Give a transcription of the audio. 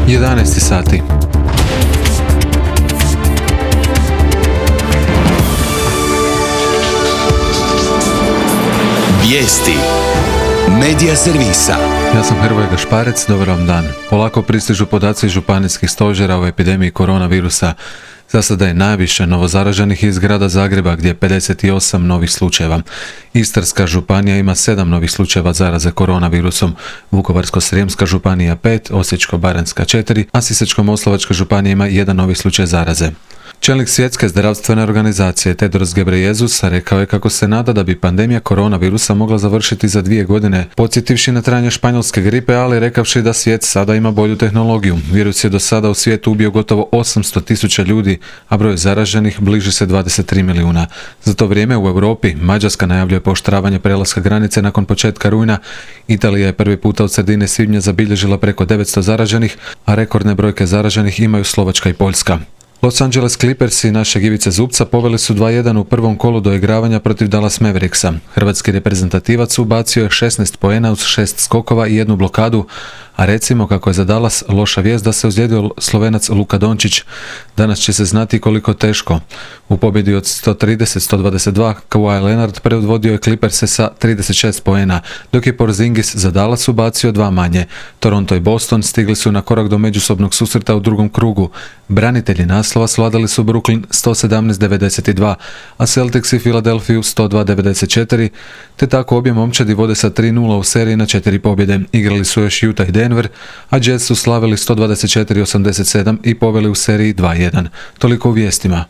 11 sati. Vijesti Medija servisa. Ja sam Hrvoje Gašparec, dobar vam dan. Polako pristižu podaci županijskih stožera o epidemiji koronavirusa. Za sada je najviše novozaraženih iz grada Zagreba gdje je 58 novih slučajeva. Istarska županija ima 7 novih slučajeva zaraze koronavirusom, Vukovarsko-srijemska županija 5, Osječko-baranjska 4, a Sisačko-moslavačka županija ima 1 novi slučaj zaraze. Čelnik Svjetske zdravstvene organizacije Tedros Ghebreyesus rekao je kako se nada da bi pandemija koronavirusa mogla završiti za 2 godine, podsjetivši na trajanje španjolske gripe, ali rekavši da svijet sada ima bolju tehnologiju. Virus je do sada u svijetu ubio gotovo 800.000 ljudi, a broj zaraženih bliži se 23 milijuna. Za to vrijeme u Europi Mađarska najavljuje pooštravanje prelaska granice nakon početka rujna. Italija je prvi puta od sredine svibnja zabilježila preko 900 zaraženih, a rekordne brojke zaraženih imaju Slovačka i Poljska. Los Angeles Clippersi našeg Ivice Zubca poveli su 2:1 u prvom kolu doigravanja protiv Dallas Mavericksa. Hrvatski reprezentativac ubacio je 16 poena uz 6 skokova i 1 blokadu, a recimo kako je za Dallas loša vijest da se ozlijedio Slovenac Luka Dončić. Danas će se znati koliko teško. U pobjedi od 130-122 Kawhi Leonard predvodio je Clipperse sa 36 poena, dok je Porzingis za Dallas ubacio 2 manje. Toronto i Boston stigli su na korak do međusobnog susreta u drugom krugu. Branitelji naslova svladali su Brooklyn 117-92, a Celtics i Philadelphia 102-94, te tako obje momčadi vode sa 3:0 u seriji na 4 pobjede. Igrali su još Utah i Denver, a Jazz su slavili 124-87 i poveli u seriji 2:1. Toliko u vijestima.